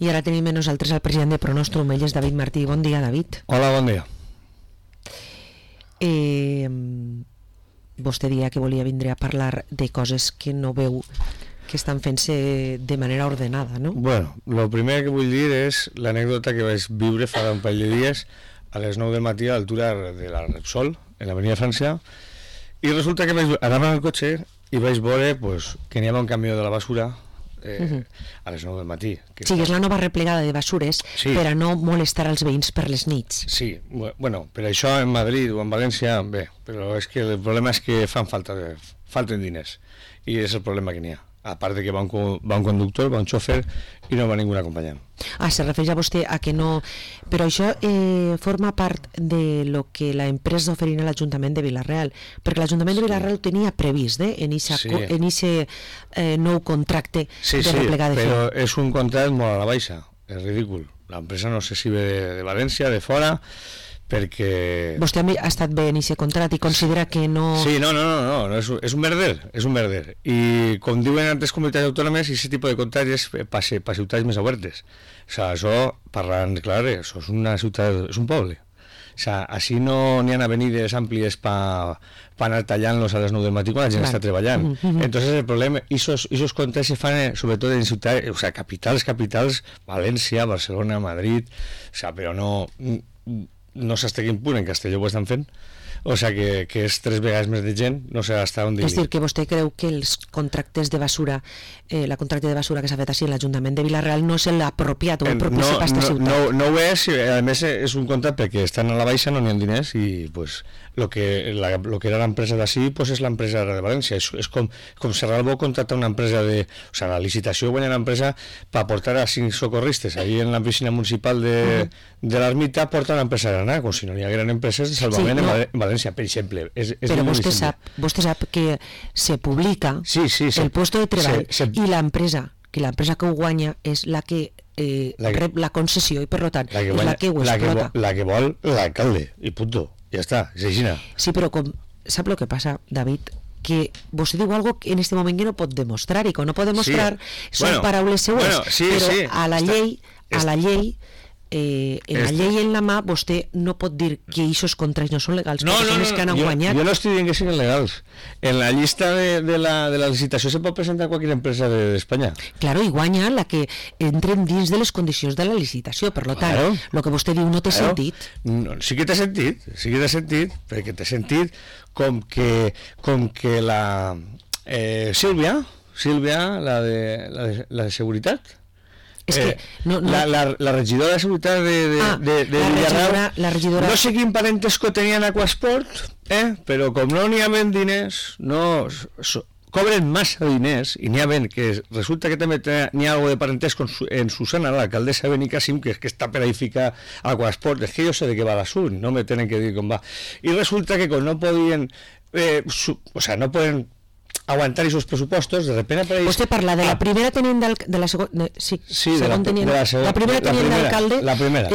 I ara tenim a nosaltres el president de Pronostrum, ell és David Martí. Bon dia, David. Hola, bon dia. Vostè dia que volia vindre a parlar de coses que no veu que estan fent-se de manera ordenada, no? Bueno, el primer que vull dir és l'anècdota que vaig viure fa un parell de dies a les 9 del matí a l'altura de la Repsol, en l'avenida França, i resulta que anava en el cotxe i vaig veure pues, que n'hi havia un camió de la basura a les 9 del matí. Sí, és la nova replegada de basures per a no molestar els veïns per les nits. Sí, bueno, per això en Madrid o en València, bé, però és que el problema és que falten diners, i és el problema que n'hi ha. A part de que va un conductor, va un xòfer i no va ningú acompanyant. Se refereix a vostè a que no... Però això forma part de lo que la empresa oferint a l'Ajuntament de Vila-real, perquè l'Ajuntament de Vila-real ho tenia previst, en aquest nou contracte de replegada de però és un contracte molt a la baixa, és ridícul. L'empresa no sé si ve de València, de fora, perquè... Vostè ha estat bé en aquest contracte i considera que no... Sí, no, és un merder, i com diuen altres comunitats autònomes, aquest tipus de contractes per ciutats més obertes. O sigui, això, parlant clar, això és una ciutat, és un poble. O sigui, així no n'hi ha avenides àmplies per anar tallant-los a les 9 del matí quan la gent està treballant. Entonces el problema, esos contractes se fan sobretot en ciutats, o sigui, capitals, València, Barcelona, Madrid, o sigui, però no sé fins a quin punt en Castelló ho estan fent, o sigui que és 3 vegades més de gent, no sé fins on dir. És dir, que vostè creu que els contractes de basura, la contracte de basura que s'ha fet així en l'Ajuntament de Vila-real no és l'apropiat o el propici per aquesta ciutat? No ho és, a més és un contracte perquè estan a la baixa, no n'hi ha diners, i pues lo que era l'empresa d'ací pues és l'empresa de València. És com Serralbo contracta una empresa o sigui, la licitació guanya l'empresa per portar a 5 socorristes allí en la piscina municipal de l'Ermita, porta una empresa granada, com si no hi hagueren empreses de salvament en València, per exemple. Però vostè sap que se publica el puesto de treball i l'empresa que ho guanya és la que rep la concessió i per tant és la que ho explota. La que vol l'alcalde, i punto. Ja està, és així. Sí, però sap el que passa, David? Que vostè diu algo que en este moment que no pot demostrar, i que no pot demostrar són paraules seues, però a la llei en la mà vostè no pot dir que aquests contractes no són legals, perquè són els que han guanyat. Jo no estic dient que siguin legals. En la llista de la licitació se pot presentar qualsevol empresa d'Espanya. Claro, i guanya la que entren dins de les condicions de la licitació, per tant, el que vostè diu no té sentit. Sí que té sentit, perquè té sentit com que la Sílvia, la de seguretat, la regidora de seguretat de Villarreal, no sé quin parentesco tenien a Aquasport, però com no n'hi havia diners, cobren massa diners, i n'hi ha que resulta que també n'hi ha algo de parentesco en Susana, l'alcaldessa de Benicàssim, que està per ahí ficar Aquasport. És que jo sé de què va l'assunt, no me tenen que dir com va, i resulta que com no podien no poden aguantar esos pressupostos, de repente apareix... Vostè parla de la primera tenint de la segona... Sí, la primera tenint d'alcalde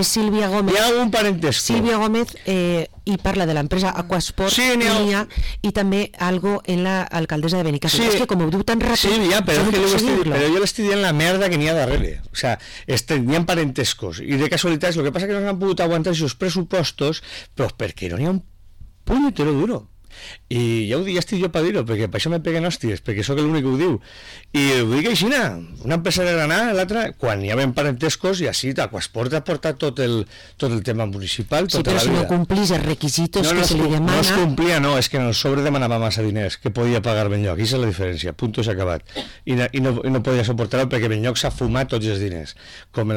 és Sílvia Gómez. Hi ha algun parentesco. Sílvia Gómez i parla de l'empresa Aquasport i també algo en l'alcaldessa de Benicàssim. És que com ho diu tan ràpid... Sí, però jo l'estic dient la merda que n'hi ha darrere. O sigui, n'hi ha parentescos i de casualitats. El que passa que no s'han pogut aguantar aquests pressupostos, però perquè no n'hi ha un punyetero duro. I ja estic jo per dir-ho, perquè per això me peguen hòsties, perquè sóc l'únic que ho diu, i ho dic així, una empresa de Granada, l'altra, quan hi havia parentescos, i així Aquasport ha portat tot el tema municipal tota la vida. Sí, però si no complís els requisitos que se li demana... No es complia, és que en el sobre demanava massa diners, que podia pagar Benlloc, i és la diferència, punto, s'ha acabat, i no podia suportar-ho perquè Benlloc s'ha fumat tots els diners, com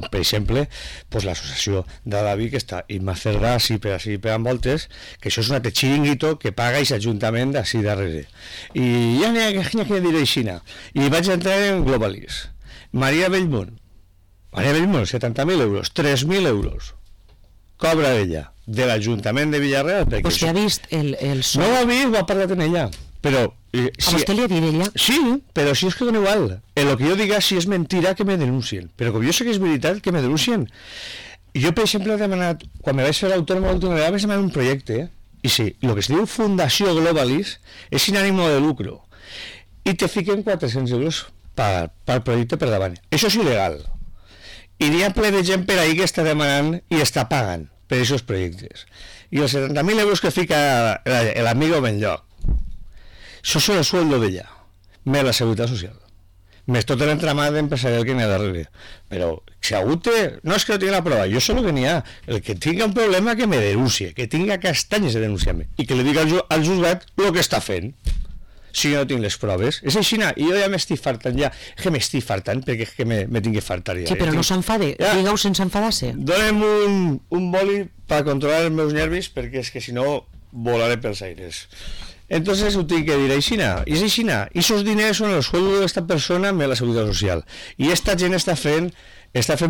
per exemple l'associació de David, que està Imma Cerdà, així pegant voltes, que això és un altre xiringuito que paga aquest ajuntament d'ací darrere. I ja n'hi ha que dir així. I vaig entrar en Globalis. Maria Bellmunt, 70.000 euros, 3.000 euros. Cobra ella, de l'Ajuntament de Villarreal. Vostè ha vist el sol? No ho ha vist, ho ha parlat amb ella. Però, a vostè li ha dit ella? Sí, però si és que dona igual. El que jo diga, si és mentira, que me denuncien. Però com jo sé que és veritat, que me denuncien. Jo, per exemple, he demanat, quan me vaig fer l'autònoma l'última vegada, vaig demanar un projecte, i sí, el que es diu Fundació Globalis és sin ànimo de lucro i te fiquen 400 euros per projecte per davant. Això és il·legal. I n'hi ha ple de gent per ahí que està demanant i està pagant per aquests projectes. I els 70.000 euros que fica l'amigo Benlloc, això són el sueldo d'ella, més la seguretat social, més tot l'entramat empresarial que n'hi ha darrere. Però si algú té... No és que no tingui la prova, jo sé el que n'hi ha. El que tinga un problema que me denuncie, que tinga castanyes de denunciar-me i que li diga al juzgat el que està fent. Si jo no tinc les proves, és així, i jo ja m'estic fartant, que m'estic fartant, perquè és que me tinc que fartar ja. Sí, però no s'enfade, digueu sense enfadar-se. Dóna'm un boli per controlar els meus nervis, perquè és que si no volaré pels aires. Entonces ho tinc que dir aixina, i és aixina, i esos diners són el sueldo d'esta persona més la seguretat social, i esta gent està fent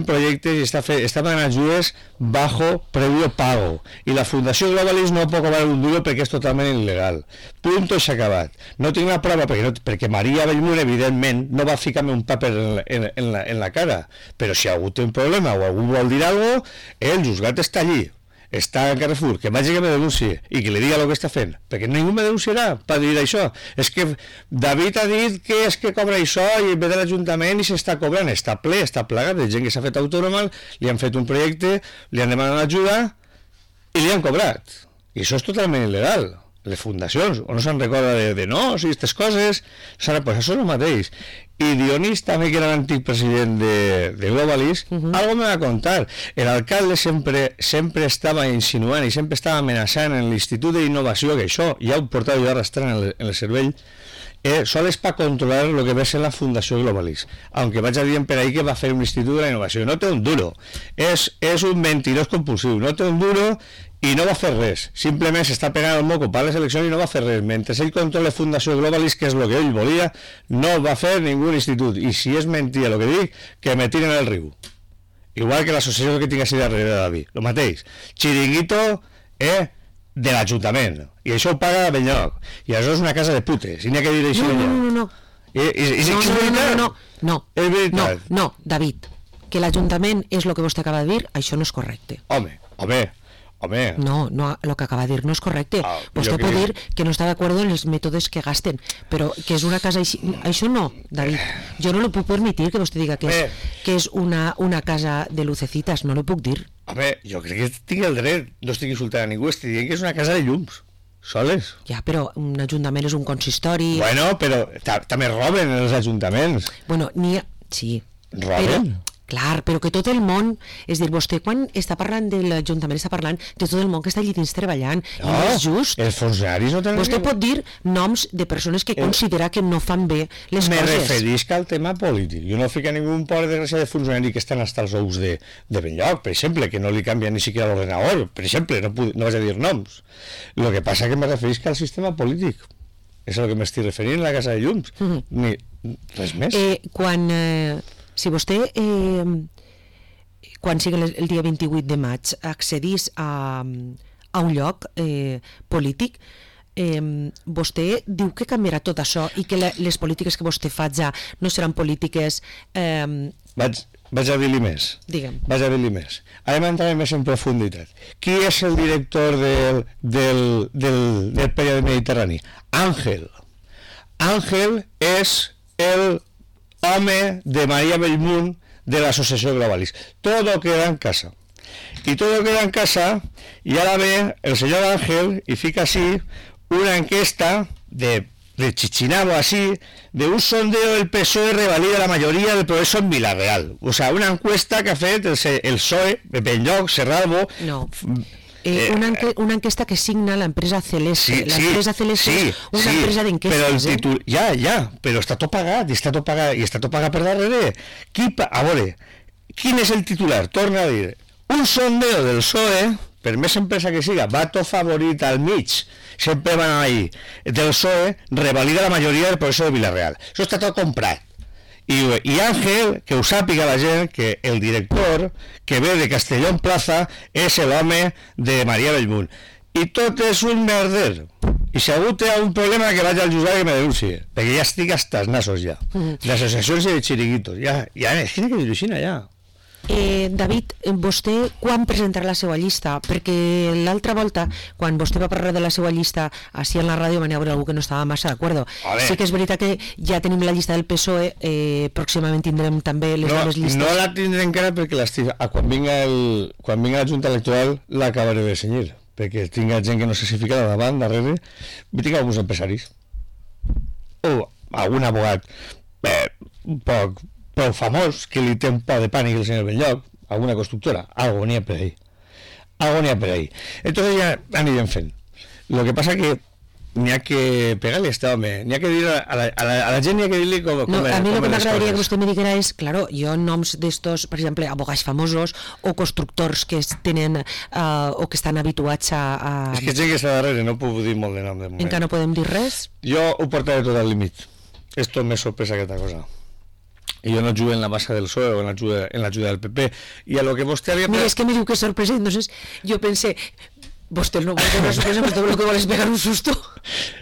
projectes i està pagant ajudes bajo previo pago, i la Fundació Globalis no pot cobrar un duro perquè és totalment il·legal. Punto i s'ha acabat. No tinc la prova perquè Maria Bellmunt evidentment no va ficar-me un paper en la cara, però si algú té un problema o algú vol dir alguna cosa, el juzgat està allí, està en Carrefour, que vagi que me denuncie i que li diga el que està fent, perquè ningú me denunciarà per dir això. És que David ha dit que és que cobra això i ve de l'Ajuntament i s'està cobrant, està ple, està plagat de gent que s'ha fet autònoma, li han fet un projecte, li han demanat ajuda i li han cobrat, i això és totalment il·legal. Les fundacions, o no se'n recorda de no, si aquestes coses, pues això és el mateix. I Dionís també, que era l'antic president de Globalis, algo me va contar. El alcalde sempre estava insinuant i sempre estava amenaçant en l'Institut d'Innovació, que això ja ho portava jo arrastrant en el cervell, sols per controlar el que va ser la Fundació Globalis, aunque vaig a dir per ahí que va fer un Institut de la Innovació. No té un duro, és un mentirós compulsiu, no té un duro i no va fer res, simplement s'està pegant el moco per les eleccions i no va fer res. Mentre ell controla Fundació Globalis, que és el que ell volia, no va fer ningú institut, i si és mentida el que dic, que me tiren al riu, igual que l'associació que tinc així darrere de David, el mateix, xiringuito de l'Ajuntament, i això ho paga Benlloc, i això és una casa de putes, i n'hi ha que dir això. No, David, que l'Ajuntament és el que vostè acaba de dir, això no és correcte. Home. No, el que acaba de dir no és correcte. Vostè pot dir que no està d'acord en els mètodes que gasten, però que és una casa així... Això no, David. Jo no li puc permetir que vostè diga que és una casa de lucecitas, no li puc dir. Home, jo crec que tinc el dret, no estic insultant a ningú, estic dient que és una casa de llums, soles. Ja, però un ajuntament és un consistori... Bueno, però també roben els ajuntaments. Bueno, sí. Roben? Clar, però que tot el món, és dir, vostè quan està parlant de l'Ajuntament està parlant de tot el món que està allí dins treballant, i no és just. Els funcionaris no tenen... Vostè pot dir noms de persones que considera que no fan bé les coses. Me referisc al tema polític. Jo no fico ningú por desgràcia de funcionari que estan hasta els ous de Benlloc, per exemple, que no li canvia ni siquiera l'ordenador, per exemple, no vaig a dir noms. Lo que passa que me referisc al sistema polític. És el que m'estic referint a la Casa de Llums. Res més. Si vostè, quan sigui el dia 28 de maig, accedís a un lloc polític, vostè diu que canviarà tot això i que les polítiques que vostè faci no seran polítiques... Vaig a dir-li més. Digue'm. Vaig a dir-li més. Ara m'entraré més en profunditat. Qui és el director del període mediterrani? Ángel. Ángel és el home de María Bellmunt de la Asociación Globalis. Todo queda en casa. Y todo queda en casa, y ahora ve el señor Ángel y fica así una encuesta de Chichinabo así, de un sondeo del PSOE revalida la mayoría del progreso en Vilareal. O sea, una encuesta que ha fet el PSOE, Benlloc, Serralbo... No. Una enquesta que signa l'empresa Celeste. L'empresa Celeste és una empresa d'enquestes. Però està tot pagat, i està tot pagat per darrere. A veure, quin és el titular? Torna a dir, un sondeo del PSOE, per més empresa que siga, va tot favorit al mig, sempre van ahí, del PSOE, revalida la majoria del progreso de Vilareal. Això està tot comprat. I Ángel, que ho sàpiga la gent, que el director que ve de Castellón Plaza és l'home de María Bellmunt. I tot és un merder. I si algú té un problema, que vagi al juzgat i que me denuncie, perquè ja estic hasta els nassos ja. Les associacions de xiringuitos, ja, és que n'hi ha que dir-ho així, ja. David, vostè quan presentarà la seva llista? Perquè l'altra volta, quan vostè va parlar de la seva llista així en la ràdio, va haver algú que no estava massa d'acord. Sí que és veritat que ja tenim la llista del PSOE, pròximament tindrem també les noves llistes. No la tindrem encara perquè quan vinga la Junta Electoral l'acabaré de senyir, perquè tinc gent que no sé si fica davant, darrere, i tinc alguns empresaris o algun abogat prou famós que li té un poc de pànic el senyor Belllloc, alguna constructora, algo n'hi ha per ahí. Entonces ja anirem fent. Lo que pasa que n'hi ha que pegar-li a este home, n'hi ha que dir a la gent, n'hi ha que dir-li com a mi lo que m'agradaria que vostè me diguera és, claro, jo noms d'estos, per exemple, abogats famosos o constructors que tenen o que estan habituats a... És que gent que està darrere, no puc dir molt de nom de moment. Encara no podem dir res? Jo ho portaré tot al límit. Esto me sorpresa aquesta cosa. I jo no jugo en la base del PSOE o en l'ajuda del PP. I a lo que vostè havia... Mira, és que me diu que és sorpresa, entonces jo pensé... Vostè no vol una sorpresa, vostè lo que vol és pegar un susto.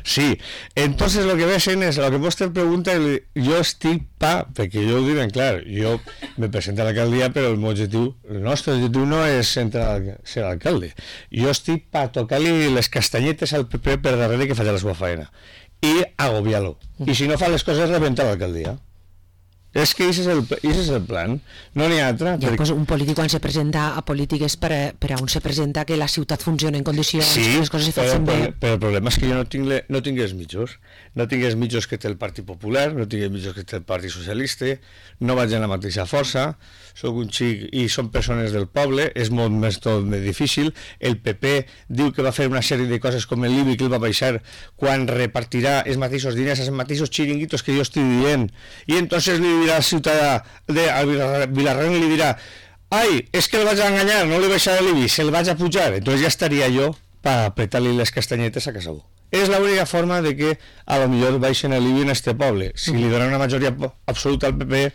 Sí, entonces lo que ve es lo que vostè pregunta, jo estic perquè jo ho dic ben clar, jo me presento a l'alcaldia, però el nostre objectiu no és ser alcalde. Jo estic per tocar-li les castanyetes al PP per darrere que faci la seva feina i agobiar-lo. I si no fa les coses, rebentar l'alcaldia. És que aquest és el plan, no n'hi ha altre. Ja, pues un polític quan se presenta a polítiques per a on se presenta que la ciutat funciona en condicions, sí, que les coses se facin bé. Però el problema és que jo no tinc els mitjos. No tinc els mitjos que té el Partit Popular, no tinc els mitjos que té el Partit Socialista, no vaig a la mateixa força, soc un xic i són persones del poble, és molt més difícil. El PP diu que va fer una sèrie de coses com l'IBI que el va baixar quan repartirà els mateixos diners als mateixos xiringuitos que jo estic dient, i entonces li dirà al ciutadà de Vilarren, li dirà ai, és que el vaig enganyar, no li baixaré l'IBI, se'l vaig a pujar, entonces ja estaria jo per apretar-li les castanyetes a Casabó. És l'única forma de que a lo millor baixen l'IBI en este poble. Si li donen una majoria absoluta al PP,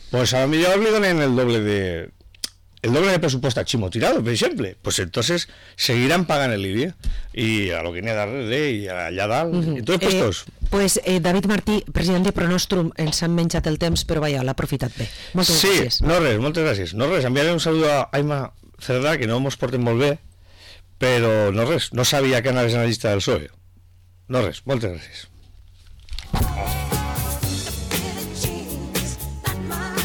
pues a lo millor li donen el doble de presupuesto a Chimo Tirado, per exemple. Pues entonces seguirán pagant el IBI i a lo que n'hi ha darrere i allà dalt, i tots puestos. Pues David Martí, president de Pronostrum, ens han menjat el temps, però vaja, l'ha aprofitat bé. Moltes gràcies. Sí, no res, moltes gràcies. No res, enviaré un saludo a Aima Cerdà, que no mos porten molt bé, però no res, no sabia que anaves en la llista del PSOE. No res, moltes gràcies.